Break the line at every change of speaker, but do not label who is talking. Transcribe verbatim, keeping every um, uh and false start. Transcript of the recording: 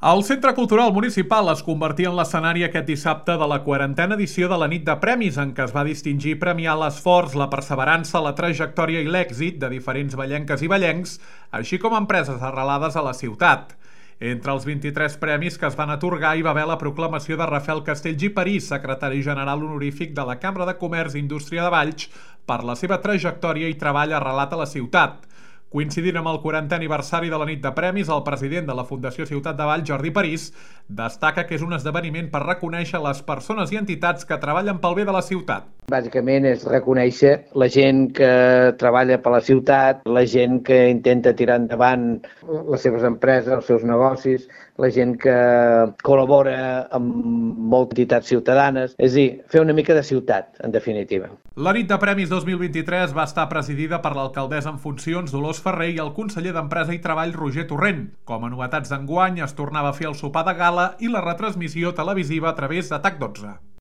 El Centre Cultural Municipal es convertia en l'escenari aquest dissabte de la quarantena edició de la Nit de Premis, en què es va distingir i premiar l'esforç, la perseverança, la trajectòria i l'èxit de diferents vallenques i vallencs, així com empreses arrelades a la ciutat. Entre els vint-i-tres premis que es van atorgar hi va haver la proclamació de Rafael Castells i París, secretari general honorífic de la Cambra de Comerç i Indústria de Valls, per la seva trajectòria i treball arrelat a la ciutat. Coincidint amb el quarantè aniversari de la Nit de Premis, el president de la Fundació Ciutat de Valls, Jordi París, destaca que és un esdeveniment per reconèixer les persones i entitats que treballen pel bé de la ciutat.
Bàsicament és reconèixer la gent que treballa per la ciutat, la gent que intenta tirar endavant les seves empreses, els seus negocis, la gent que col·labora amb moltes entitats ciutadanes, és a dir, fer una mica de ciutat, en definitiva.
La Nit de Premis dos mil vint-i-tres va estar presidida per l'alcaldessa en funcions Dolors Ferrer i el conseller d'Empresa i Treball Roger Torrent. Com a novetats d'enguany es tornava a fer el sopar de gala i la retransmissió televisiva a través de TAC dotze.